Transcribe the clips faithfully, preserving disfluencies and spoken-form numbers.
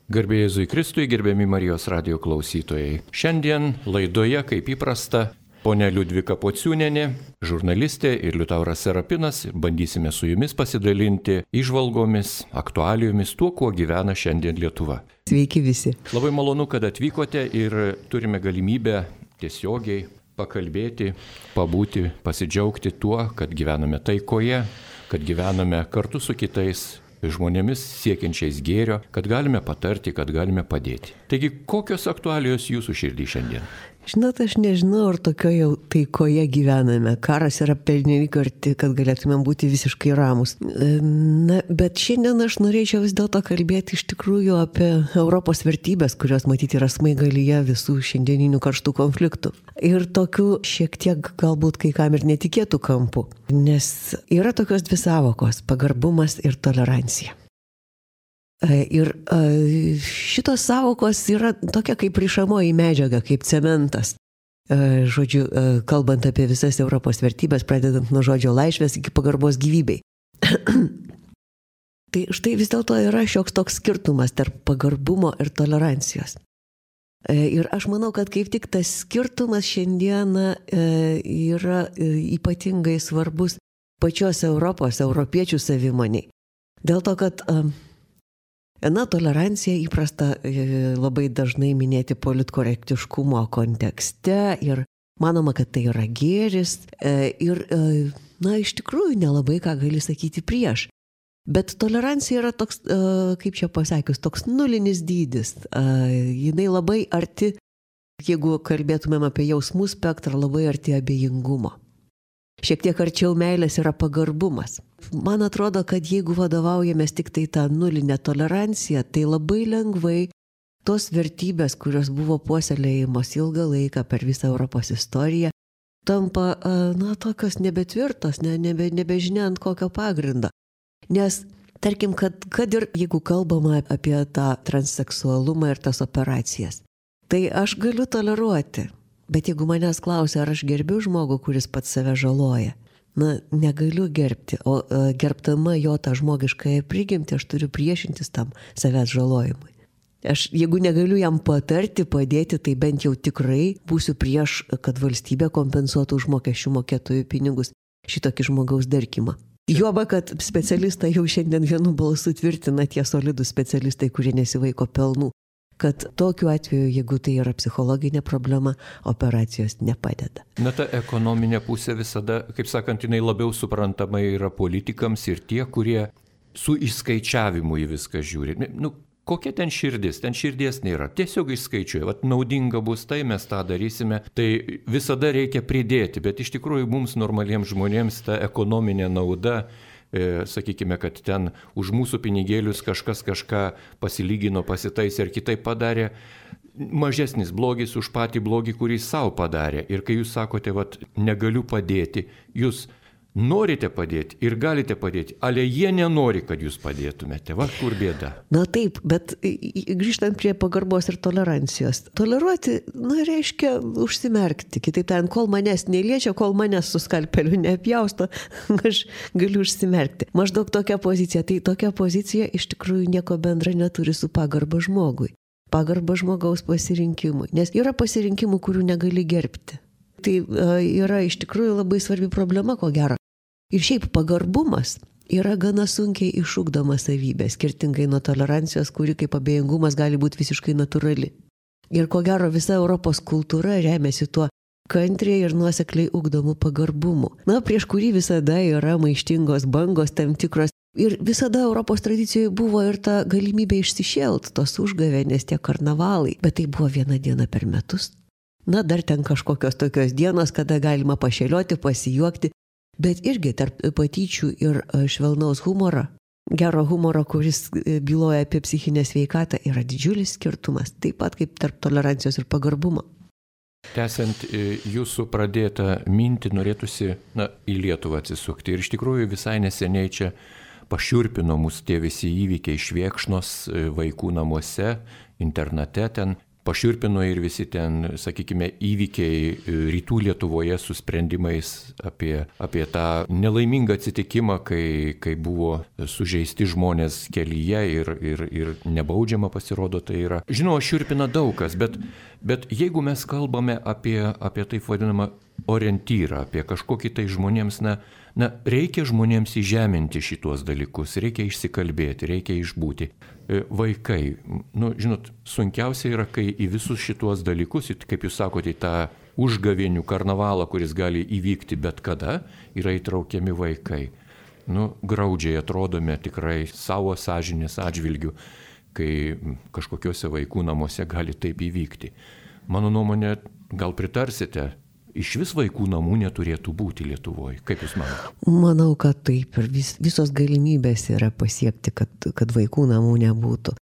Garbė Jėzui Kristui, gerbiami Marijos radijo klausytojai. Šiandien laidoje, kaip įprasta, ponia Liudvika Pociūnienė, žurnalistė ir Liutauras Serapinas. Bandysime su jumis pasidalinti įžvalgomis, aktualijomis, tuo, kuo gyvena šiandien Lietuva. Sveiki visi. Labai malonu, kad atvykote ir turime galimybę tiesiogiai pakalbėti, pabūti, pasidžiaugti tuo, kad gyvename taikoje, kad gyvename kartu su kitais žmonėmis siekiančiais gėrio, kad galime patarti, kad galime padėti. Taigi, kokios aktualijos jūsų širdį šiandien? Žinot, aš nežinau, ar tokioje jau taikoje gyvename. Karas yra pernelyg arti, kad galėtumėm būti visiškai ramus. Na, bet šiandien aš norėčiau vis dėlto kalbėti iš tikrųjų apie Europos vertybės, kurios matyti yra smaigalyje visų šiandieninių karštų konfliktų. Ir tokių šiek tiek galbūt kai kam ir netikėtų kampų. Nes yra tokios dvi sąvokos – pagarbumas ir tolerancija. Ir šitos sąvokos yra tokia kaip rišamoji medžiaga, kaip cementas. Žodžiu, kalbant apie visas Europos vertybės, pradedant nuo žodžio laisvės iki pagarbos gyvybei. Tai štai vis dėlto yra šioks toks skirtumas tarp pagarbumo ir tolerancijos. Ir aš manau, kad kaip tik tas skirtumas šiandieną yra ypatingai svarbus pačios Europos, europiečių savimoniai. Dėl to, kad Na, tolerancija įprasta labai dažnai minėti politkorektiškumo kontekste ir manoma, kad tai yra gėris ir, na, iš tikrųjų nelabai ką gali sakyti prieš. Bet tolerancija yra toks, kaip čia pasakius, toks nulinis dydis. Jinai labai arti, jeigu kalbėtumėm apie jausmų spektrą, labai arti abejingumo. Šiek tiek arčiau meilės yra pagarbumas. Man atrodo, kad jeigu vadovaujamės tik tai tą nulinę toleranciją, tai labai lengvai tos vertybės, kurios buvo puoselėjimos ilgą laiką per visą Europos istoriją, tampa, na, tokios nebetvirtos, ne, nebe, nebežinia ant kokio pagrindo. Nes, tarkim, kad, kad ir jeigu kalbama apie tą transseksualumą ir tas operacijas, tai aš galiu toleruoti. Bet jeigu manęs klausia, ar aš gerbiu žmogų, kuris pats save žaloja, na, negaliu gerbti, o gerbdama jo tą žmogiškąją prigimtį, aš turiu priešintis tam savęs žalojimui. Aš, jeigu negaliu jam patarti, padėti, tai bent jau tikrai būsiu prieš, kad valstybė kompensuotų už mokesčių mokėtojų pinigus šitokį žmogaus darkimą. Juoba, kad specialistai jau šiandien vienu balsu tvirtina, tie solidūs specialistai, kurie nesivaiko pelnų, kad tokiu atveju, jeigu tai yra psichologinė problema, operacijos nepadeda. Na, ta ekonominė pusė visada, kaip sakant, jinai labiau suprantama yra politikams ir tie, kurie su išskaičiavimu į viską žiūri. Nu, kokia ten širdis? Ten širdies nėra. Tiesiog išskaičiuoja. Vat naudinga bus tai, mes tą darysime. Tai visada reikia pridėti, bet iš tikrųjų mums normaliems žmonėms ta ekonominė nauda, sakykime, kad ten už mūsų pinigėlius kažkas kažką pasilygino, pasitaisė ir kitaip padarė, mažesnis blogis už patį blogį, kurį savo padarė. Ir kai jūs sakote, vat, negaliu padėti, jūs norite padėti ir galite padėti, ale jie nenori, kad jūs padėtumėte. Va, kur bėda. Na taip, bet grįžtant prie pagarbos ir tolerancijos. Toleruoti, na, reiškia užsimerkti. Kitaip tariant, kol manęs neliečia, kol manęs su skalpeliu neapjausto, aš galiu užsimerkti. Maždaug tokia pozicija. Tai tokia pozicija iš tikrųjų nieko bendra neturi su pagarba žmogui. Pagarba žmogaus pasirinkimui. Nes yra pasirinkimų, kurių negali gerbti. Tai yra iš tikrųjų labai svarbi problema, ko gero. Ir šiaip pagarbumas yra gana sunkiai išugdoma savybė, skirtingai nuo tolerancijos, kuri kaip abejingumas gali būti visiškai natūrali. Ir ko gero visa Europos kultūra remiasi tuo kantriai ir nuosekliai ugdomų pagarbumų. Na, prieš kurį visada yra maištingos bangos tam tikros. Ir visada Europos tradicijoje buvo ir ta galimybė išsišėlt, tos užgavėnės, tie karnavalai. Bet tai buvo viena diena per metus. Na, dar ten kažkokios tokios dienos, kada galima pašėlioti, pasijuokti. Bet irgi tarp patyčių ir švelnaus humoro, gero humoro, kuris byloja apie psichinę sveikatą, yra didžiulis skirtumas, taip pat kaip tarp tolerancijos ir pagarbumo. Tęsiant jūsų pradėtą mintį, norėtųsi, na, į Lietuvą atsisukti. Ir iš tikrųjų visai neseniai čia pašiurpino mus tie visi įvykiai Švėkšnos vaikų namuose, internate ten. pašiurpino ir visi ten, sakykime, įvykiai rytų Lietuvoje su sprendimais apie, apie tą nelaimingą atsitikimą, kai, kai buvo sužeisti žmonės kelyje ir, ir, ir nebaudžiama pasirodo tai yra. Žinoma, šiurpina daug kas, bet, bet jeigu mes kalbame apie, apie taip vadinamą orientyrą, apie kažkokį tai žmonėms, na, na, reikia žmonėms įžeminti šitos dalykus, reikia išsikalbėti, reikia išbūti. Vaikai, nu, žinot, sunkiausia yra, kai į visus šitos dalykus, kaip jūs sakote, į tą užgavėnių karnavalą, kuris gali įvykti bet kada, yra įtraukiami vaikai. Nu, graudžiai atrodome tikrai savo sąžinės atžvilgių, kai kažkokiuose vaikų namuose gali taip įvykti. Mano nuomonė, gal pritarsite, iš vis vaikų namų neturėtų būti Lietuvoje. Kaip jūs manote? Manau, kad taip. Ir vis, visos galimybės yra pasiekti, kad, kad vaikų namų nebūtų.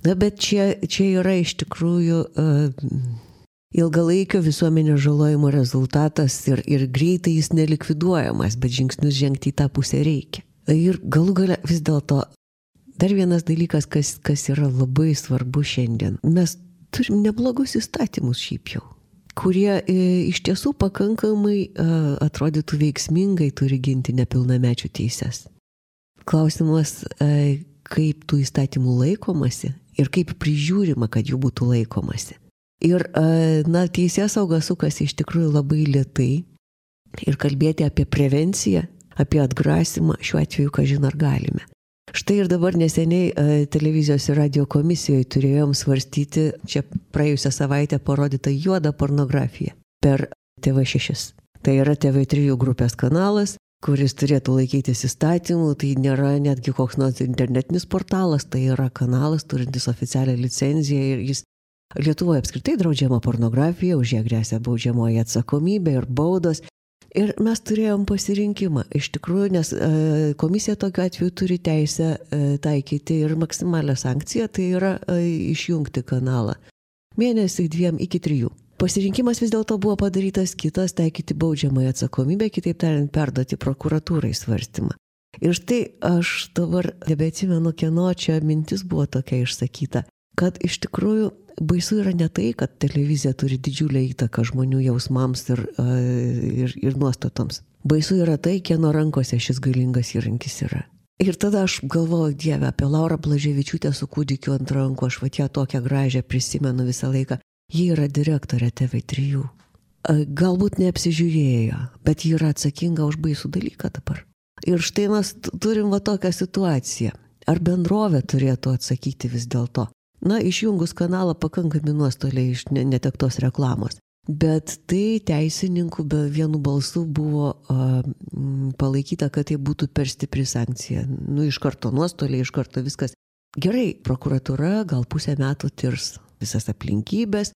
Na, bet čia, čia yra iš tikrųjų uh, ilgalaikio visuomenės žalojimo rezultatas ir, ir greitai jis nelikviduojamas, bet žingsnius žengti į tą pusę reikia. Ir galų gale vis dėlto dar vienas dalykas, kas, kas yra labai svarbu šiandien. Mes turim neblogus įstatymus šiaip jau, kurie e, iš tiesų pakankamai e, atrodytų veiksmingai turi ginti nepilnamečių teises. Klausimas, e, kaip tų įstatymų laikomasi ir kaip prižiūrima, kad jų būtų laikomasi. Ir, e, na, teisėsauga sukasi iš tikrųjų labai lėtai ir kalbėti apie prevenciją, apie atgrasimą šiuo atveju, kažin ar galime. Štai ir dabar neseniai e, televizijos ir radio komisijoje turėjom svarstyti čia praėjusią savaitę parodytą juodą pornografiją per T V šeši. Tai yra T V trys grupės kanalas, kuris turėtų laikytis įstatymų, tai nėra netgi koks nors internetinis portalas, tai yra kanalas turintis oficialią licenciją ir jis Lietuvoje apskritai draudžiama pornografija, už ją gresia baudžiamoji atsakomybė ir baudos. Ir mes turėjom pasirinkimą, iš tikrųjų, nes e, komisija tokiu atveju turi teisę e, taikyti ir maksimalią sankciją, tai yra e, išjungti kanalą. Mėnesį, dviem iki trijų. Pasirinkimas vis dėlto buvo padarytas kitas, taikyti baudžiamąją atsakomybę, kitaip tariant, perduoti prokuratūrai svarstymą. Ir štai aš dabar nebeatsimenu, kieno čia mintis buvo tokia išsakyta, kad iš tikrųjų baisu yra ne tai, kad televizija turi didžiulę įtaką žmonių jausmams ir, ir, ir nuostatoms. Baisu yra tai, kieno rankose šis galingas įrankis yra. Ir tada aš galvoju, Dieve, apie Laurą Blaževičiūtę su kūdikiu ant rankų, aš vat ją tokią gražią prisimenu visą laiką. Ji yra direktorė T V trys. Galbūt neapsižiūrėjo, bet ji yra atsakinga už baisų dalyką dabar. Ir štai mes turim va tokią situaciją. Ar bendrovė turėtų atsakyti vis dėlto? Na, išjungus kanalą pakankami nuostoliai iš netektos reklamos. Bet tai teisininkų be vienu balsu buvo a, m, palaikyta, kad tai būtų per stipri sankcija. Nu, iš karto nuostoliai, iš karto viskas. Gerai, prokuratūra gal pusę metų tirs visas aplinkybės.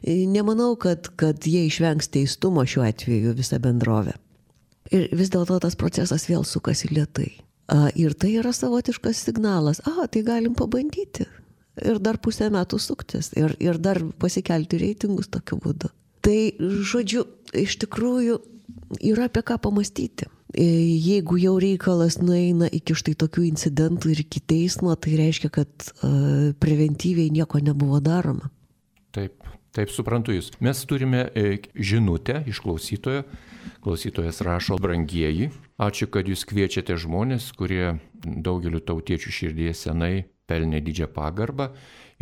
Nemanau, kad, kad jie išvengs teistumo šiuo atveju visą bendrovę. Ir vis dėlto tas procesas vėl sukasi lėtai. A, ir tai yra savotiškas signalas. A, tai galim pabandyti. Ir dar pusę metų suktis. Ir, ir dar pasikelti reitingus tokiu būdu. Tai, žodžiu, iš tikrųjų yra apie ką pamastyti. Jeigu jau reikalas nueina iki štai tokių incidentų ir iki teismo, tai reiškia, kad uh, preventyviai nieko nebuvo daroma. Taip, taip suprantu jūs. Mes turime e, žinutę iš klausytojo. Klausytojas rašo: brangieji, ačiū, kad jūs kviečiate žmonės, kurie daugeliu tautiečių širdyje senai pelnė didžią pagarbą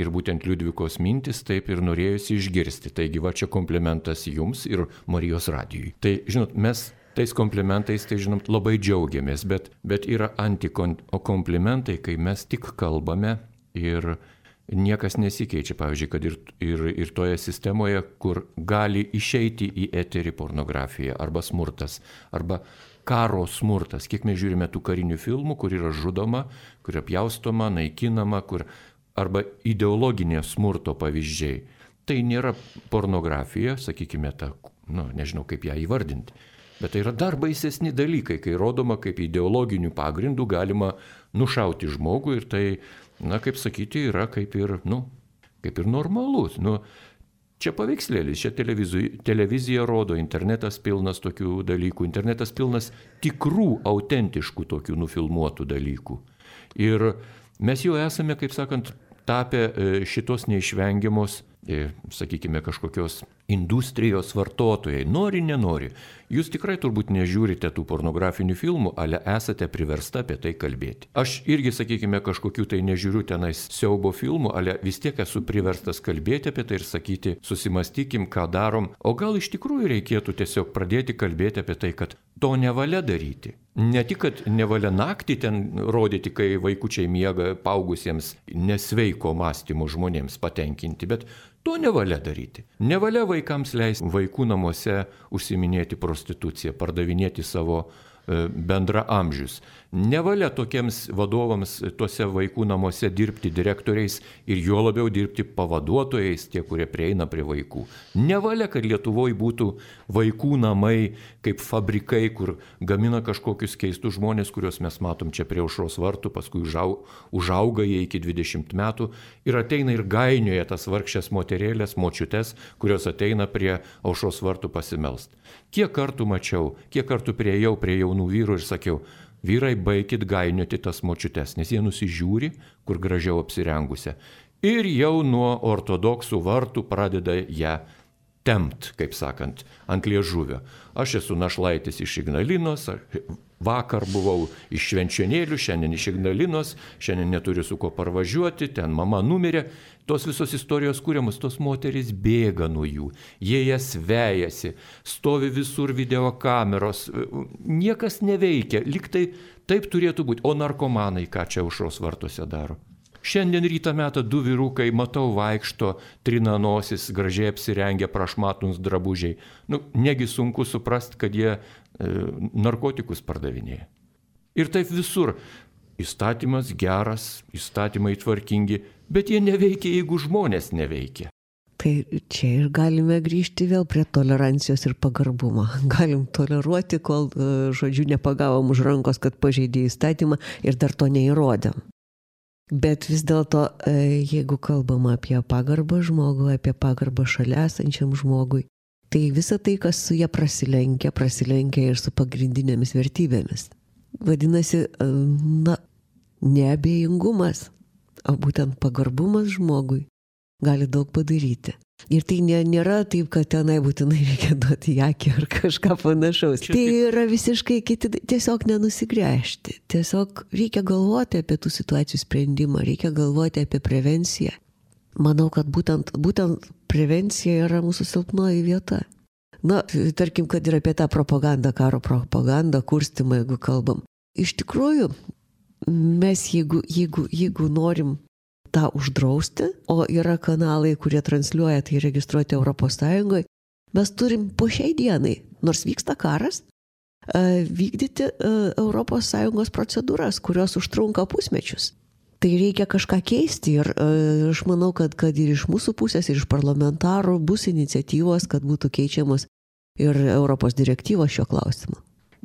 ir būtent Liudvikos mintis taip ir norėjusi išgirsti. Taigi va čia komplimentas jums ir Marijos radijui. Tai, žinot, mes tais komplimentais, tai žinot, labai džiaugiamės, bet, bet yra antikomplimentai, kai mes tik kalbame ir niekas nesikeičia. Pavyzdžiui, kad ir, ir, ir toje sistemoje, kur gali išeiti į eterį pornografija arba smurtas, arba karo smurtas. Kiek mes žiūrime tų karinių filmų, kur yra žudoma, kur apjaustoma, naikinama, kur arba ideologinė smurto pavyzdžiai. Tai nėra pornografija, sakykime, ta, nu, nežinau kaip ją įvardinti, bet tai yra dar baisesni dalykai, kai rodoma, kaip ideologinių pagrindų galima nušauti žmogų ir tai, na, kaip sakyti, yra kaip ir, nu, kaip ir normalus. Nu, čia paveikslėlis, čia televizija, televizija rodo, internetas pilnas tokių dalykų, internetas pilnas tikrų, autentiškų tokių nufilmuotų dalykų. Ir mes jau esame, kaip sakant, tapę šitos neišvengiamos sakykime, kažkokios industrijos vartotojai, nori, nenori. Jūs tikrai turbūt nežiūrite tų pornografinių filmų, ale esate priversta apie tai kalbėti. Aš irgi, sakykime, kažkokių tai nežiūriu tenais siaubo filmų, ale vis tiek esu priverstas kalbėti apie tai ir sakyti, susimastykim, ką darom. O gal iš tikrųjų reikėtų tiesiog pradėti kalbėti apie tai, kad to nevalia daryti. Ne tik, kad nevalia naktį ten rodyti, kai vaikučiai miega paugusiems nesveiko mąstymo žmonėms patenkinti, bet to nevalia daryti. Nevalia vaikams leisti vaikų namuose užsiiminėti prostituciją, pardavinėti savo bendra amžius. Nevalia tokiems vadovams tuose vaikų namuose dirbti direktoriais ir juo labiau dirbti pavaduotojais, tie, kurie prieina prie vaikų. Nevalia, kad Lietuvoje būtų vaikų namai kaip fabrikai, kur gamina kažkokius keistus žmonės, kuriuos mes matom čia prie Aušros vartų, paskui užauga jie iki dvidešimt metų ir ateina ir gainioja tas vargšės moterėlės, močiutes, kurios ateina prie Aušros vartų pasimelst. Kiek kartų mačiau, kiek kartų priejau prie jaunų vyrų ir sakiau, vyrai, baikit gainioti tas močiutes, nes jie nusižiūri, kur gražiau apsirengusią. Ir jau nuo ortodoksų vartų pradeda ją tempt, kaip sakant, ant liežuvio. Aš esu našlaitis iš Ignalinos, vakar buvau iš Švenčionėlių, šiandien iš Ignalinos, šiandien neturiu su ko parvažiuoti, ten mama numirė. Tos visos istorijos kūriamos, tos moterys bėga nuo jų, jie jas vejasi, stovi visur videokameros, niekas neveikia, lyg tai taip turėtų būti, o narkomanai ką čia Aušros vartuose daro. Šiandien rytą metą du vyrukai, matau, vaikšto, trina nosis, gražiai apsirengę, prašmatnus drabužiai. Nu, negi sunku suprasti, kad jie e, narkotikus pardavinėja. Ir taip visur. Įstatymas geras, įstatymai tvarkingi, bet jie neveikia, jeigu žmonės neveikia. Tai čia ir galime grįžti vėl prie tolerancijos ir pagarbumo. Galim toleruoti, kol, žodžiu, nepagavom už rankos, kad pažeidė įstatymą ir dar to neįrodėm. Bet vis dėlto, jeigu kalbam apie pagarbą žmogui, apie pagarbą šalia esančiam žmogui, tai visa tai, kas su jie prasilenkia, prasilenkia ir su pagrindinėmis vertybėmis. Vadinasi, na, neabejingumas, o būtent pagarbumas žmogui gali daug padaryti. Ir tai nė, nėra taip, kad tenai būtinai reikia duoti į akį ar kažką panašaus. Čia tai yra visiškai kiti, tiesiog nenusigręžti. Tiesiog reikia galvoti apie tų situacijų sprendimą, reikia galvoti apie prevenciją. Manau, kad būtent, būtent prevencija yra mūsų silpnoji vieta. Na, tarkim, kad ir apie tą propagandą, karo propagandą, kurstymą, jeigu kalbam. Iš tikrųjų, mes jeigu, jeigu, jeigu norim tą uždrausti, o yra kanalai, kurie transliuoja, tai registruoti Europos Sąjungoje, mes turim po šiai dienai, nors vyksta karas, vykdyti Europos Sąjungos procedūras, kurios užtrunka pusmečius. Tai reikia kažką keisti ir aš manau, kad, kad ir iš mūsų pusės, ir iš parlamentarų bus iniciatyvos, kad būtų keičiamos ir Europos direktyvos šio klausimu.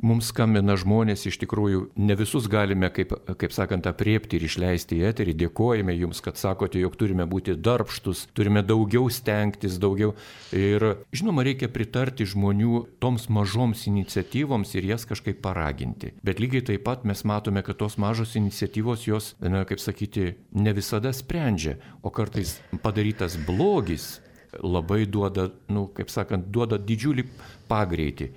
Mums skambina žmonės, iš tikrųjų, ne visus galime, kaip, kaip sakant, apriepti ir išleisti į eterį. Dėkojame jums, kad sakote, jog turime būti darbštus, turime daugiau stengtis, daugiau. Ir, žinoma, reikia pritarti žmonių toms mažoms iniciatyvoms ir jas kažkaip paraginti. Bet lygiai taip pat mes matome, kad tos mažos iniciatyvos jos, na, kaip sakyti, ne visada sprendžia, o kartais padarytas blogis labai duoda, nu, kaip sakant, duoda didžiulį pagreitį.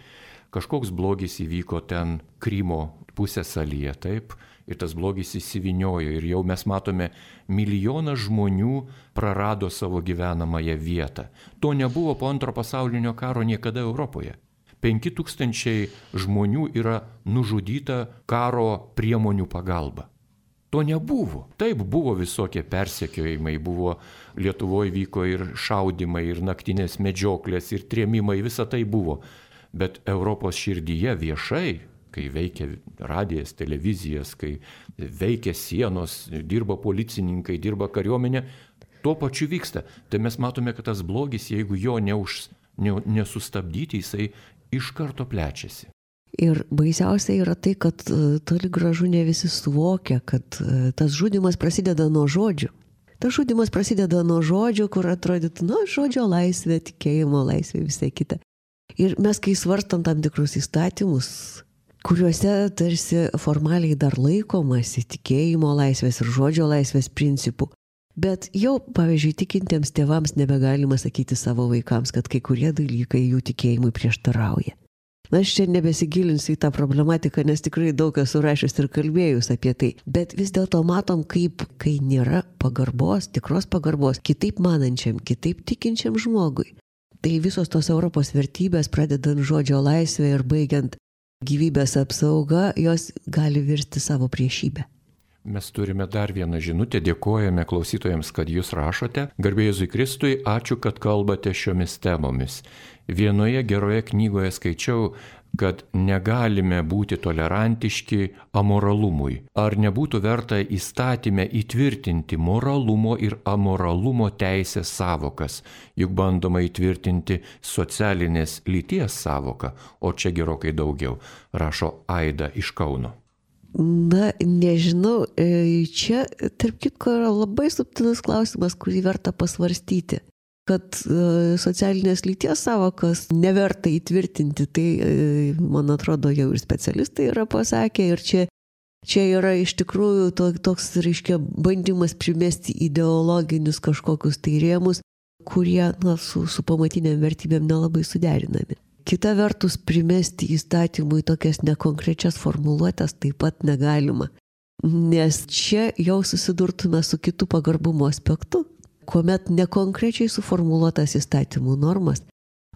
Kažkoks blogis įvyko ten Krymo pusiasalyje, taip, ir tas blogis įsiviniojo ir jau mes matome, milijonas žmonių prarado savo gyvenamąją vietą. To nebuvo po antro pasaulinio karo niekada Europoje. Penki tūkstančiai žmonių yra nužudyta karo priemonių pagalba. To nebuvo. Taip, buvo visokie persekiojimai, buvo Lietuvoje vyko ir šaudimai, ir naktinės medžioklės, ir trėmimai, visa tai buvo. Bet Europos širdyje viešai, kai veikia radijas, televizijas, kai veikia sienos, dirba policininkai, dirba kariuomenė, tuo pačiu vyksta. Tai mes matome, kad tas blogis, jeigu jo neuž, ne, nesustabdyti, jisai iš karto plečiasi. Ir baisiausia yra tai, kad toli gražu ne visi suvokia, kad tas žudymas prasideda nuo žodžių. Tas žudymas prasideda nuo žodžių, kur atrodytų, nu, žodžio laisvė, tikėjimo laisvė, visai kita. Ir mes, kai svarstam tam tikrus įstatymus, kuriuose tarsi formaliai dar laikomasi tikėjimo laisvės ir žodžio laisvės principų, Bet jau, pavyzdžiui, tikintiems tėvams nebegalima sakyti savo vaikams, kad kai kurie dalykai jų tikėjimui prieštarauja. Na, aš čia nebesigilinsiu į tą problematiką, nes tikrai daug esu rašęs ir kalbėjus apie tai. Bet vis dėlto matom, kaip, kai nėra pagarbos, tikros pagarbos, kitaip manančiam, kitaip tikinčiam žmogui. Tai visos tos Europos vertybės, pradedant žodžio laisvę ir baigiant gyvybės apsauga, jos gali virsti savo priešybę. Mes turime dar vieną žinutę, dėkojame klausytojams, kad jūs rašote. Garbė Jėzui Kristui, ačiū, kad kalbate šiomis temomis. Vienoje geroje knygoje skaičiau, kad negalime būti tolerantiški amoralumui. Ar nebūtų verta įstatyme įtvirtinti moralumo ir amoralumo teisės savokas, juk bandoma įtvirtinti socialinės lyties savoką, o čia gerokai daugiau, rašo Aida iš Kauno. Na, nežinau, čia, tarp kitko, yra labai subtilus klausimas, kurį verta pasvarstyti. Kad socialinės lyties savokas neverta įtvirtinti, tai, man atrodo, jau ir specialistai yra pasakę, ir čia, čia yra iš tikrųjų to, toks, reiškia, bandymas primesti ideologinius kažkokius tai rėmus, kurie, na, su, su pamatiniam vertybėm nelabai suderinami. Kita vertus, primesti įstatymui tokias nekonkrečias formuluotės taip pat negalima, nes čia jau susidurtume su kitu pagarbumo aspektu, kuomet nekonkrečiai suformuluotas įstatymų normas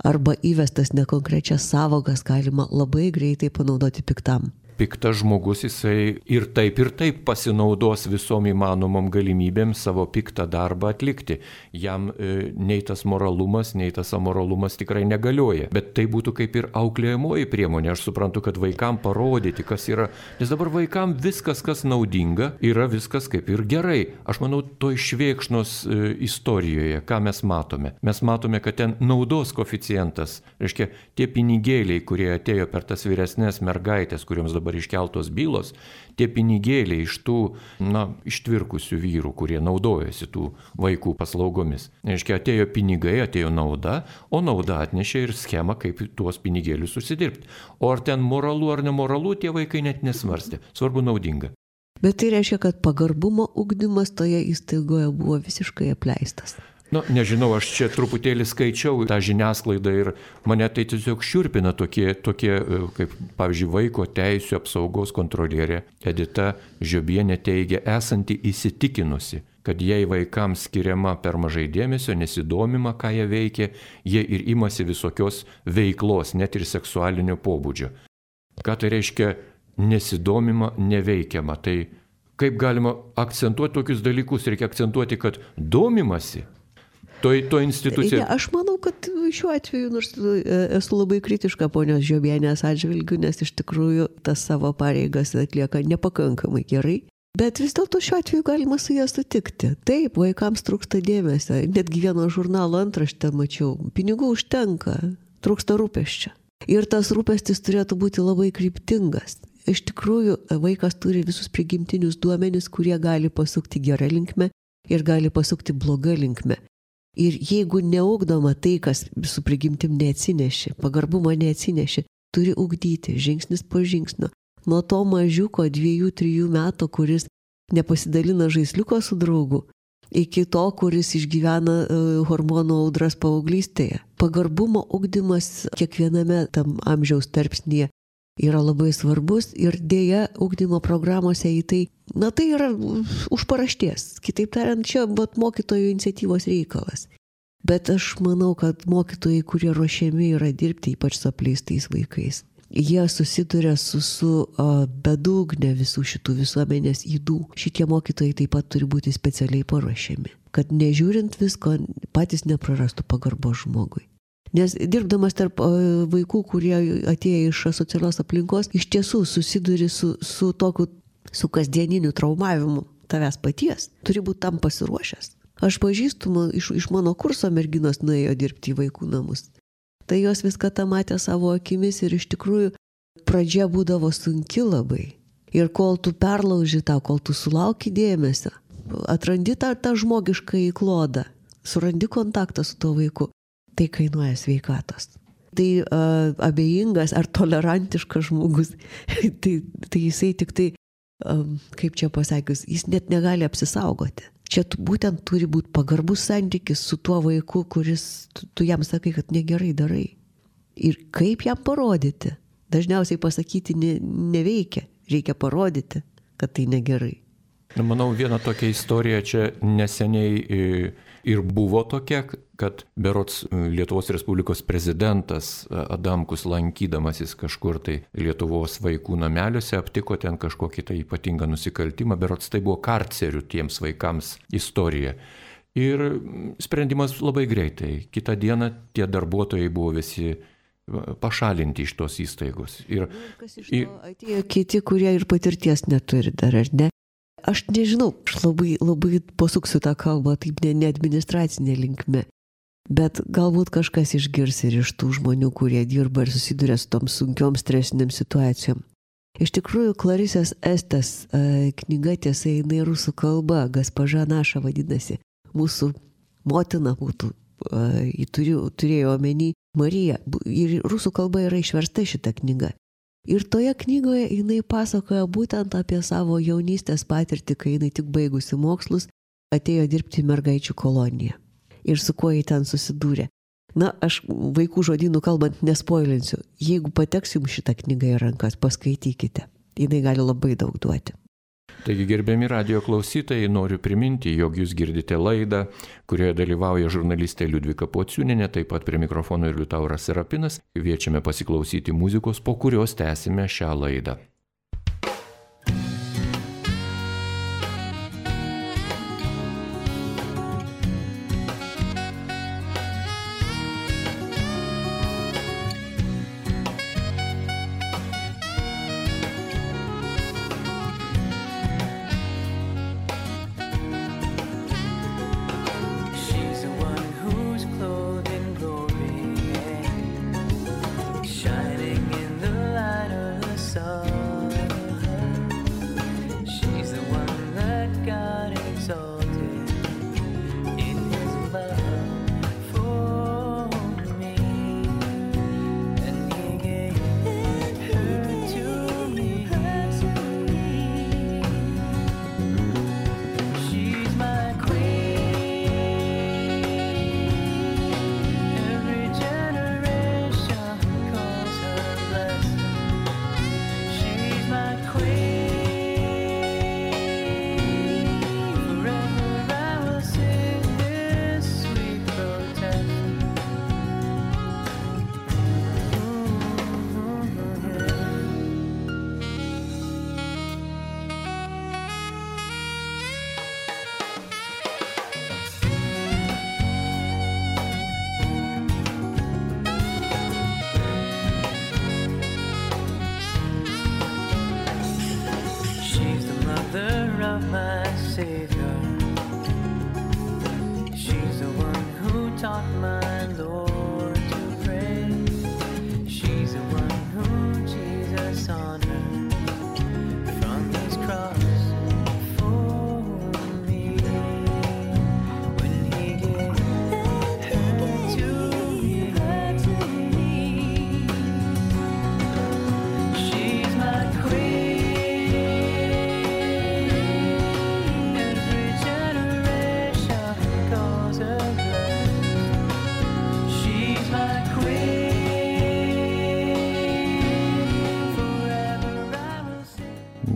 arba įvestas nekonkrečias savokas galima labai greitai panaudoti piktam. Piktas žmogus, jisai ir taip ir taip pasinaudos visom įmanomom galimybėm savo piktą darbą atlikti. Jam e, nei tas moralumas, nei tas amoralumas tikrai negalioja. Bet tai būtų kaip ir auklėjamoji priemonė. Aš suprantu, kad vaikam parodyti, kas yra. Nes dabar vaikam viskas, kas naudinga, yra viskas kaip ir gerai. Aš manau, toj Švėkšnos e, istorijoje, ką mes matome. Mes matome, kad ten naudos koeficientas, reiškia, tie pinigėliai, kurie atėjo per tas vyresnės mergaitės, kuriuoms dabar iškeltos bylos, tie pinigėliai iš tų, na, ištvirkusių vyrų, kurie naudojasi tų vaikų paslaugomis. Reiškia, atėjo pinigai, atėjo nauda, o nauda atnešė ir schemą, kaip tuos pinigėlius užsidirbti. O ar ten moralu ar nemoralu, tie vaikai net nesvarstė. Svarbu naudinga. Bet tai reiškia, kad pagarbumo ugdymas toje įstaigoje buvo visiškai apleistas. Nu, nežinau, aš čia truputėlį skaičiau tą žiniasklaidą ir mane tai tiesiog šiurpina tokie, tokie kaip, pavyzdžiui, vaiko teisių apsaugos kontrolierė Edita Žiobienė teigia, esanti įsitikinusi, kad jei vaikams skiriama per mažai dėmesio, nesidomima, ką jie veikia, jie ir imasi visokios veiklos, net ir seksualinio pobūdžio. Ką tai reiškia nesidomima, neveikiama? Tai kaip galima akcentuoti tokius dalykus? Reikia akcentuoti, kad domimasi. To, to institucija... Ja, aš manau, kad šiuo atveju, nors esu labai kritiška ponios Žiobienės atžvilgiu, nes iš tikrųjų tas savo pareigas atlieka nepakankamai gerai, bet vis dėlto šiuo atveju galima su ją sutikti. Taip, vaikams trūksta dėmesio, netgi vieno žurnalo antraštę mačiau, pinigų užtenka, trūksta rūpesčio. Ir tas rūpestis turėtų būti labai kryptingas. Iš tikrųjų, vaikas turi visus prigimtinius duomenis, kurie gali pasukti gerą linkmę ir gali pasukti blogą linkmę. Ir jeigu neugdoma tai, kas su prigimtim neatsinešė, pagarbumo neatsinešė, turi ugdyti žingsnis po žingsnio. Nuo to mažiuko dviejų, trijų metų, kuris nepasidalina žaisliuko su draugu, iki to, kuris išgyvena uh, hormonų audras paauglystėje. Pagarbumo ugdymas kiekviename tam amžiaus tarpsnyje yra labai svarbus ir dėja ugdymo programuose į tai, na tai yra už parašties. Kitaip tariant, čia bet mokytojų iniciatyvos reikalas. Bet aš manau, kad mokytojai, kurie ruošiami yra dirbti, ypač su apleistais vaikais, jie susiduria su, su uh, bedugne visų šitų visuomenės ydų. Šitie mokytojai taip pat turi būti specialiai paruošiami, kad nežiūrint visko, patys neprarastų pagarbos žmogui. Nes dirbdamas tarp vaikų, kurie atėjo iš asocialios aplinkos, iš tiesų susiduri su, su tokiu, su kasdieniniu traumavimu tavęs paties. Turi būti tam pasiruošęs. Aš pažįstu, iš, iš mano kurso merginos nuėjo dirbti į vaikų namus. Tai jos viską tą matė savo akimis ir iš tikrųjų pradžia būdavo sunki labai. Ir kol tu perlauži tą, kol tu sulauki dėmesio, atrandi tą, tą žmogišką įklodą, surandi kontaktą su tuo vaiku, tai kainuoja sveikatos. Tai uh, abejingas ar tolerantiškas žmogus, tai, tai jisai tik tai kaip čia pasakius, jis net negali apsisaugoti. Čia būtent turi būti pagarbus santykis su tuo vaiku, kuris, tu, tu jam sakai, kad negerai darai. Ir kaip jam parodyti? Dažniausiai pasakyti ne, neveikia, reikia parodyti, kad tai negerai. Na, manau, viena tokia istorija čia neseniai ir buvo tokia, kad berods Lietuvos Respublikos prezidentas Adamkus, lankydamasis kažkur tai Lietuvos vaikų nameliuose, aptiko ten kažkokį tai ypatingą nusikaltimą, berods tai buvo karcerių tiems vaikams istorija. Ir sprendimas labai greitai. Kitą dieną tie darbuotojai buvo visi pašalinti iš tos įstaigos. Ir, kas iš to atėjo kiti, kurie ir patirties neturi dar, ar ne? Aš nežinau, aš labai, labai pasuksiu tą kalbą taip ne, ne administracinė linkme, bet galbūt kažkas išgirs ir iš tų žmonių, kurie dirba ir susiduria su tom sunkiom stresiniam situacijom. Iš tikrųjų, Klarisės Estės e, knyga, tiesa, jinai rusų kalba, Gaspaža naša vadinasi, mūsų motina būtų, e, turėjo, turėjo omeny Marija, ir rusų kalba yra išversta šita knyga. Ir toje knygoje jinai pasakoja būtent apie savo jaunystės patirtį, kai jinai tik baigusi mokslus, atėjo dirbti į mergaičių koloniją. Ir su kuo jį ten susidūrė. Na, aš vaikų žodynų kalbant nespoilinsiu. Jeigu pateks jums šitą knygą į rankas, paskaitykite. Jinai gali labai daug duoti. Taigi, gerbiami radijo klausytojai, noriu priminti, jog jūs girdite laidą, kurioje dalyvauja žurnalistė Liudvika Pociūnienė, taip pat prie mikrofono ir Liutauras Serapinas. Kviečiame pasiklausyti muzikos, po kurios tęsime šią laidą.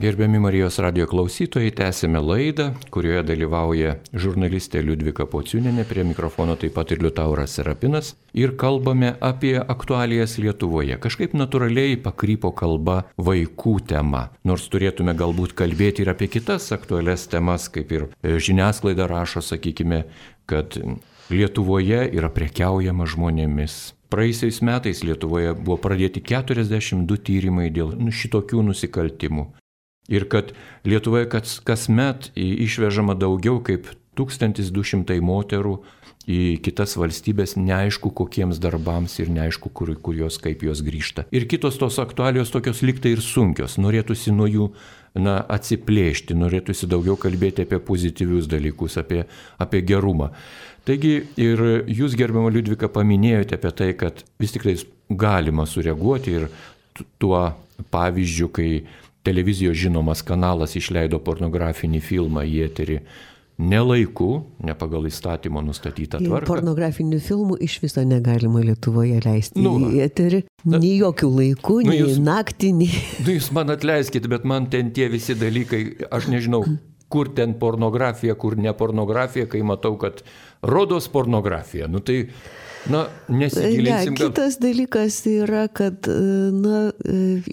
Gerbiami Marijos radijo klausytojai, tęsime laidą, kurioje dalyvauja žurnalistė Liudvika Pociūnienė, prie mikrofono taip pat ir Liutauras Serapinas, ir kalbame apie aktualijas Lietuvoje. Kažkaip natūraliai pakrypo kalba vaikų tema, nors turėtume galbūt kalbėti ir apie kitas aktualias temas, kaip ir žiniasklaida rašo, sakykime, kad Lietuvoje yra prekiaujama žmonėmis. Praėjusiais metais Lietuvoje buvo pradėti keturiasdešimt du tyrimai dėl šitokių nusikaltimų. Ir kad Lietuvoje kas, kasmet išvežama daugiau kaip tūkstantis du šimtai moterų į kitas valstybės, neaišku kokiems darbams ir neaišku, kur, kur jos, kaip jos grįžta. Ir kitos tos aktualijos tokios liktai ir sunkios, norėtųsi nuo jų na, atsiplėšti, norėtųsi daugiau kalbėti apie pozityvius dalykus, apie, apie gerumą. Taigi ir jūs, gerbiama Liudvika, paminėjote apie tai, kad vis tik tai galima sureaguoti ir tuo pavyzdžiu, kai televizijos žinomas kanalas išleido pornografinį filmą į eterį ne laiku, ne pagal įstatymo nustatytą tvarką. Pornografinių filmų iš viso negalima Lietuvoje leisti nu, į eterį. Nei jokių laikų, nu, nei jūs, naktį, nei... Nu, jūs man atleiskite, bet man ten tie visi dalykai, aš nežinau, kur ten pornografija, kur ne pornografija, kai matau, kad rodos pornografija. Nu tai, na, nesigilinsim. Ja, kitas dalykas yra, kad, na,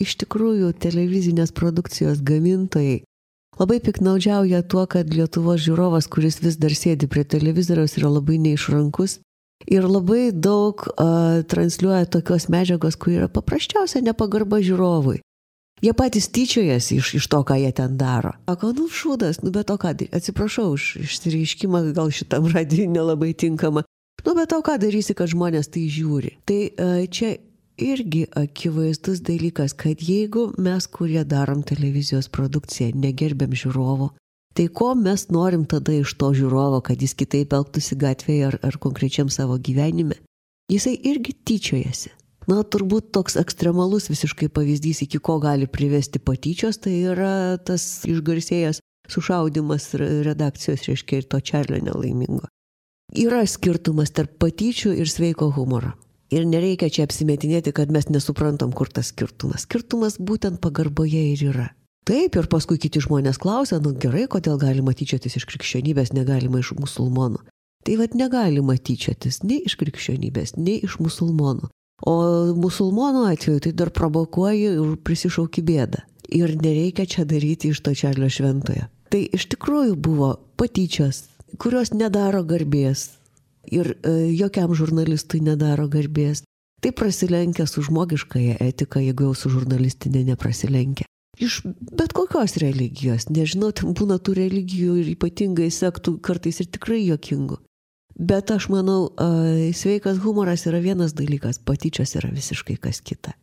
iš tikrųjų televizinės produkcijos gamintojai labai piknaudžiauja tuo, kad Lietuvos žiūrovas, kuris vis dar sėdi prie televizoriaus, yra labai neišrankus ir labai daug uh, transliuoja tokios medžiagos, kur yra paprasčiausia nepagarba žiūrovui. Jie patys tyčiojasi iš, iš to, ką jie ten daro. Sako, nu šūdas, nu bet o ką, atsiprašau už išsireiškimą, gal šitam radijui nelabai tinkama. Nu bet o ką darysi, kad žmonės tai žiūri. Tai uh, čia irgi akivaizdus dalykas, kad jeigu mes, kurie darom televizijos produkciją, negerbėm žiūrovo, tai ko mes norim tada iš to žiūrovo, kad jis kitaip elgtųsi gatvėje ar, ar konkrečiam savo gyvenime? Jisai irgi tyčiojasi. Na, turbūt toks ekstremalus visiškai pavyzdys, iki ko gali privesti patyčios, tai yra tas išgarsėjęs sušaudimas redakcijos, reiškia, ir to Čarlio nelaimingo. Yra skirtumas tarp patyčių ir sveiko humoro. Ir nereikia čia apsimetinėti, kad mes nesuprantam, kur tas skirtumas. Skirtumas būtent pagarboje ir yra. Taip, ir paskui kiti žmonės klausia, nu gerai, kodėl galima tyčiotis iš krikščionybės, negalima iš musulmonų. Tai vat negalima tyčiotis nei iš krikščionybės, nei iš musulmonų. O musulmonų atveju tai dar provokuoji ir prisišauki bėdą. Ir nereikia čia daryti iš to Čarlio šventojo. Tai iš tikrųjų buvo patyčios, kurios nedaro garbės. Ir e, jokiam žurnalistui nedaro garbės. Tai prasilenkia su žmogiškąja etika, jeigu jau su žurnalistinė neprasilenkia. Iš bet kokios religijos, nežinau, ten būna tų religijų ir ypatingai sektų kartais ir tikrai juokingų. Bet aš manau, e, sveikas humoras yra vienas dalykas, patyčios yra visiškai kas kita.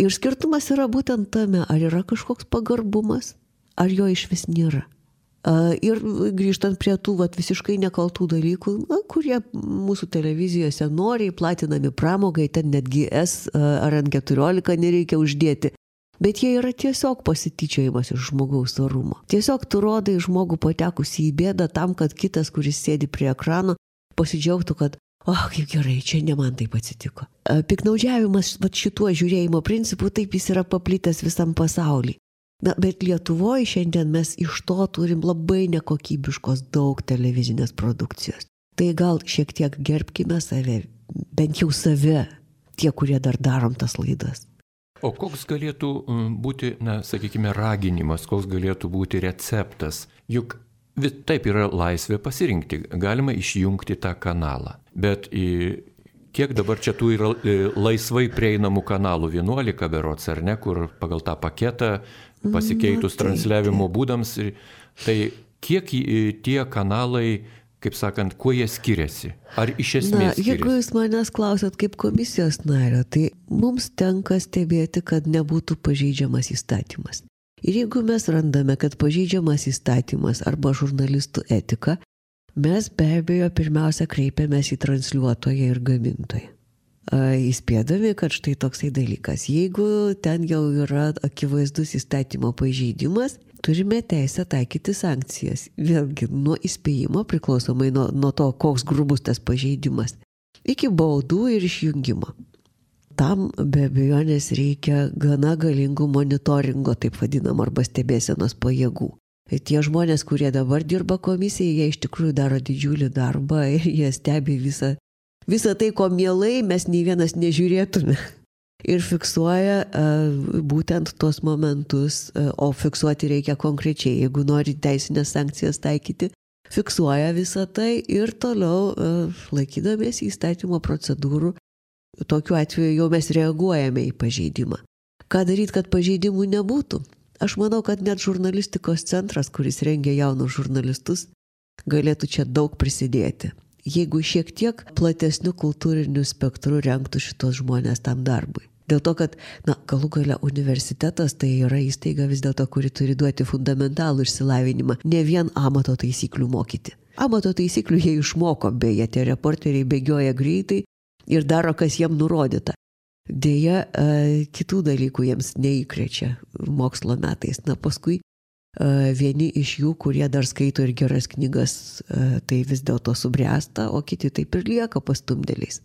Ir skirtumas yra būtent tame, ar yra kažkoks pagarbumas, ar jo iš vis nėra. Ir grįžtant prie tų vat, visiškai nekaltų dalykų, na, kurie mūsų televizijose noriai platinami pramogai, ten netgi S ar N keturiolika nereikia uždėti, bet jie yra tiesiog pasityčiojimas iš žmogaus orumo. Tiesiog tu rodai žmogų patekusi į bėdą tam, kad kitas, kuris sėdi prie ekrano, pasidžiaugtų, kad o, oh, kaip gerai, čia ne man taip atsitiko. Piknaudžiavimas vat, šituo žiūrėjimo principu, taip jis yra paplitęs visam pasaulyje. Na, bet Lietuvoje šiandien mes iš to turim labai nekokybiškos daug televizinės produkcijos. Tai gal šiek tiek gerbkime save, bent jau save, tie, kurie dar darom tas laidas. O koks galėtų būti, na, sakykime, raginimas, koks galėtų būti receptas? Juk taip yra laisvė pasirinkti, galima išjungti tą kanalą. Bet į, kiek dabar čia tų yra laisvai prieinamų kanalų, vienuolika berods, ar ne, kur pagal tą paketą pasikeitus transliavimo būdams, tai kiek tie kanalai, kaip sakant, kuo jie skiriasi? Ar iš esmės skiriasi? Na, jeigu jūs manęs klausot kaip komisijos nario, tai mums tenka stebėti, kad nebūtų pažeidžiamas įstatymas. Ir jeigu mes randame, kad pažeidžiamas įstatymas arba žurnalistų etika, mes be abejo pirmiausia kreipiamės į transliuotoją ir gamintoją. Įspėdami, kad štai toksai dalykas. Jeigu ten jau yra akivaizdus įstatymo pažeidimas, turime teisę taikyti sankcijas. Vėlgi nuo įspėjimo priklausomai nuo, nuo to, koks grubus tas pažeidimas, iki baudų ir išjungimo. Tam be abejonės reikia gana galingų monitoringo, taip vadinam, arba stebėsenos pajėgų. Tie žmonės, kurie dabar dirba komisijai, jie iš tikrųjų daro didžiulį darbą ir jie stebi visą Visą tai, ko mielai mes nei vienas nežiūrėtume. Ir fiksuoja uh, būtent tuos momentus, uh, o fiksuoti reikia konkrečiai. Jeigu nori teisinės sankcijas taikyti, fiksuoja visą tai ir toliau uh, laikydamės įstatymo procedūrų. Tokiu atveju jau mes reaguojame į pažeidimą. Ką daryti, kad pažeidimų nebūtų? Aš manau, kad net žurnalistikos centras, kuris rengia jaunus žurnalistus, galėtų čia daug prisidėti. Jeigu šiek tiek platesnių kultūrinių spektrų rengtų šitos žmonės tam darbui. Dėl to, kad, na, galų gale universitetas tai yra įstaiga vis dėlto, kuri turi duoti fundamentalų išsilavinimą, ne vien amato taisyklių mokyti. Amato taisyklių jie išmoko, beje, tie reporteriai bėgioja greitai ir daro, kas jiem nurodyta. Dėja, kitų dalykų jiems neįkrečia mokslo metais. Na, paskui vieni iš jų, kurie dar skaito ir geras knygas, tai vis dėlto subręsta, o kiti taip ir lieka pastumdėliais.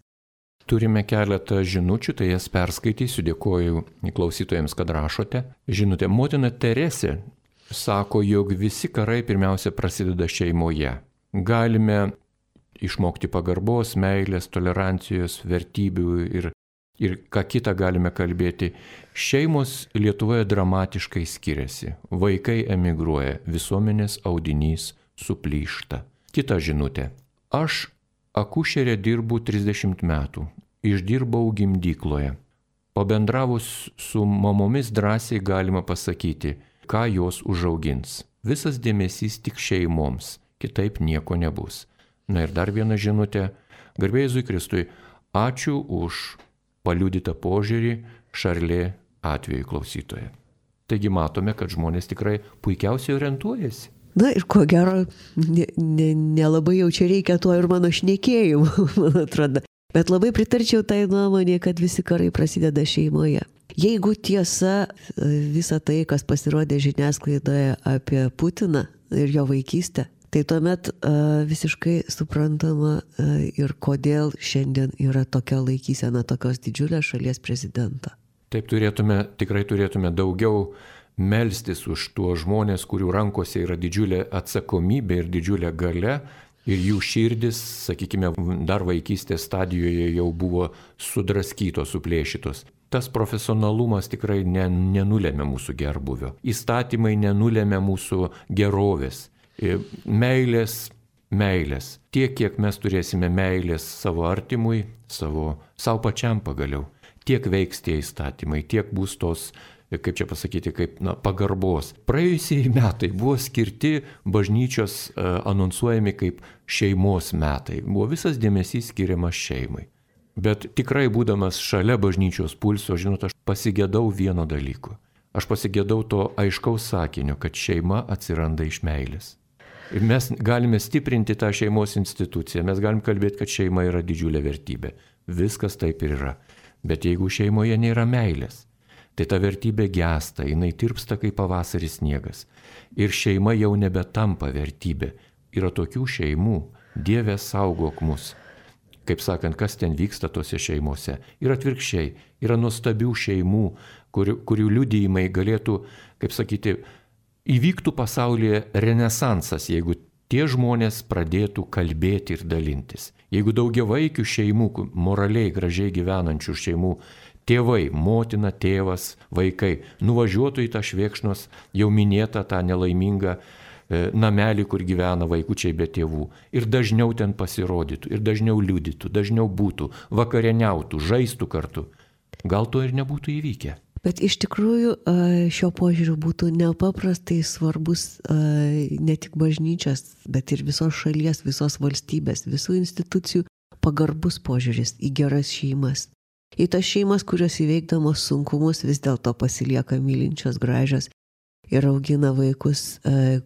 Turime keletą žinučių, tai jas perskaitysiu, dėkoju klausytojams, kad rašote. Žinutė, motina Teresė sako, jog visi karai pirmiausia prasideda šeimoje. Galime išmokti pagarbos, meilės, tolerancijos, vertybių ir, ir ką kitą galime kalbėti. Šeimos Lietuvoje dramatiškai skiriasi. Vaikai emigruoja, visuomenės audinys suplyšta. Kita žinutė. Aš akušerė dirbu trisdešimt metų. Išdirbau gimdykloje. Pabendravus su mamomis drąsiai galima pasakyti, ką jos užaugins. Visas dėmesys tik šeimoms, kitaip nieko nebus. Na ir dar viena žinutė. Garbė Jėzui Kristui, ačiū už paliudytą požiūrį Šarlė atveju klausytoje. Taigi matome, kad žmonės tikrai puikiausiai orientuojasi. Na ir ko gero, nelabai ne, ne jau čia reikia to ir mano šnekėjimų, man atrodo. Bet labai pritarčiau tai nuomonė, kad visi karai prasideda šeimoje. Jeigu tiesa visa tai, kas pasirodė žiniasklaidoje apie Putiną ir jo vaikystę, tai tuomet uh, visiškai suprantama uh, ir kodėl šiandien yra tokia laikysena tokios didžiulės šalies prezidento. Taip turėtume, tikrai turėtume daugiau melstis už tuos žmonės, kurių rankose yra didžiulė atsakomybė ir didžiulė galia ir jų širdis, sakykime, dar vaikystės stadijoje jau buvo sudraskytos, suplėšytos. Tas profesionalumas tikrai ne, nenulėmė mūsų gerbuvio. Įstatymai nenulėmė mūsų gerovės. Meilės, meilės. Tiek, kiek mes turėsime meilės savo artimui, savo, savo pačiam pagaliau, tiek veiks tie įstatymai, tiek bus tos, kaip čia pasakyti, kaip na, pagarbos. Praėjusiai metai buvo skirti bažnyčios uh, anonsuojami kaip šeimos metai. Buvo visas dėmesys skiriamas šeimai. Bet tikrai būdamas šalia bažnyčios pulso, žinot, aš pasigėdau vieno dalyko. Aš pasigėdau to aiškaus sakinio, kad šeima atsiranda iš meilės. Ir mes galime stiprinti tą šeimos instituciją, mes galim kalbėti, kad šeima yra didžiulė vertybė. Viskas taip ir yra. Bet jeigu šeimoje nėra meilės, tai ta vertybė gęsta, jinai tirpsta kaip pavasaris sniegas. Ir šeima jau nebetampa vertybė. Yra tokių šeimų, Dieve saugok mus. Kaip sakant, kas ten vyksta tose šeimose. Ir atvirkščiai, yra nuostabių šeimų, kur, kurių liudijimai galėtų, kaip sakyti, įvyktų pasaulyje renesansas, jeigu tie žmonės pradėtų kalbėti ir dalintis. Jeigu daugiavaikių šeimų, moraliai gražiai gyvenančių šeimų, tėvai, motina, tėvas, vaikai nuvažiuotų į tą Švėkšnos jau minėtą tą nelaimingą e, namelį, kur gyvena vaikučiai be tėvų. Ir dažniau ten pasirodytų, ir dažniau liudytų, dažniau būtų, vakarieniautų, žaistų kartu. Gal to ir nebūtų įvykę. Bet iš tikrųjų šio požiūriu būtų nepaprastai svarbus ne tik bažnyčios, bet ir visos šalies, visos valstybės, visų institucijų pagarbus požiūris į geras šeimas. Į tas šeimas, kurios įveikdamos sunkumus vis dėlto pasilieka mylinčios, gražios ir augina vaikus,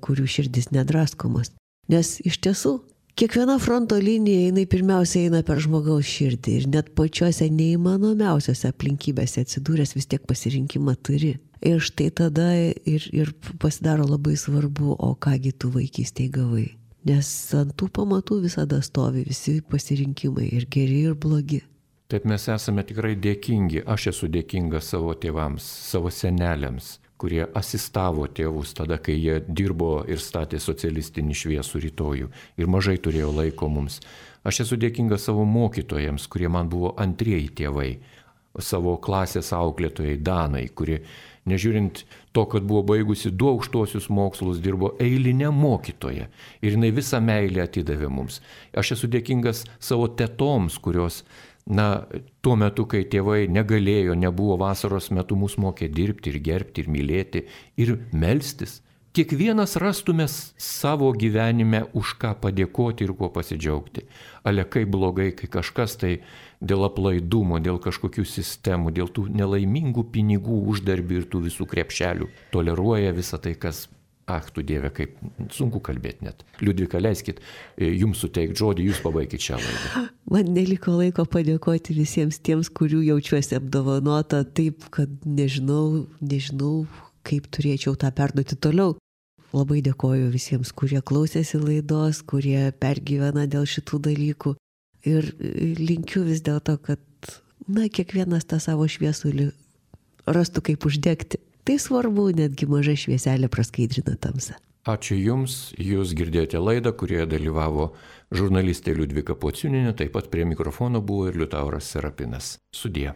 kurių širdis nedraskomos. Nes iš tiesų, kiekviena fronto linija, jinai pirmiausia eina per žmogaus širdį ir net pačiose neįmanomiausiose aplinkybėse atsidūręs vis tiek pasirinkimą turi. Ir štai tada ir, ir pasidaro labai svarbu, o kągi tu vaikystėje gavai. Nes ant tų pamatų visada stovi visi pasirinkimai ir geri ir blogi. Taip mes esame tikrai dėkingi. Aš esu dėkingas savo tėvams, savo seneliams, kurie asistavo tėvus tada, kai jie dirbo ir statė socialistinį šviesų rytojų ir mažai turėjo laiko mums. Aš esu dėkingas savo mokytojams, kurie man buvo antrieji tėvai, savo klasės auklėtojai Danai, kuri, nežiūrint to, kad buvo baigusi du aukštuosius mokslus, dirbo eilinė mokytoja ir jinai visą meilę atidavė mums. Aš esu dėkingas savo tetoms, kurios Na, tuo metu, kai tėvai negalėjo, nebuvo vasaros metu, mus mokė dirbti ir gerbti ir mylėti ir melstis. Kiekvienas rastume savo gyvenime už ką padėkoti ir kuo pasidžiaugti. Ale kaip blogai, kai kažkas tai dėl aplaidumo, dėl kažkokių sistemų, dėl tų nelaimingų pinigų uždarbių ir tų visų krepšelių toleruoja visą tai, kas Ach, tu Dieve, kaip sunku kalbėti net. Liudvika, leiskit, jums suteikti žodį, jūs pabaikit šią laidą. Man neliko laiko padėkoti visiems tiems, kurių jaučiuosi apdovanota taip, kad nežinau, nežinau, kaip turėčiau tą perduoti toliau. Labai dėkoju visiems, kurie klausėsi laidos, kurie pergyvena dėl šitų dalykų. Ir linkiu vis dėlto, kad, na, kiekvienas tą savo šviesulį rastų kaip uždegti. Tai svarbu, netgi maža švieselė praskaidrina tamsą. Ačiū Jums, Jūs girdėjote laidą, kurioje dalyvavo žurnalistė Liudvika Pociūnienė, taip pat prie mikrofono buvo ir Liutauras Serapinas. Sudie.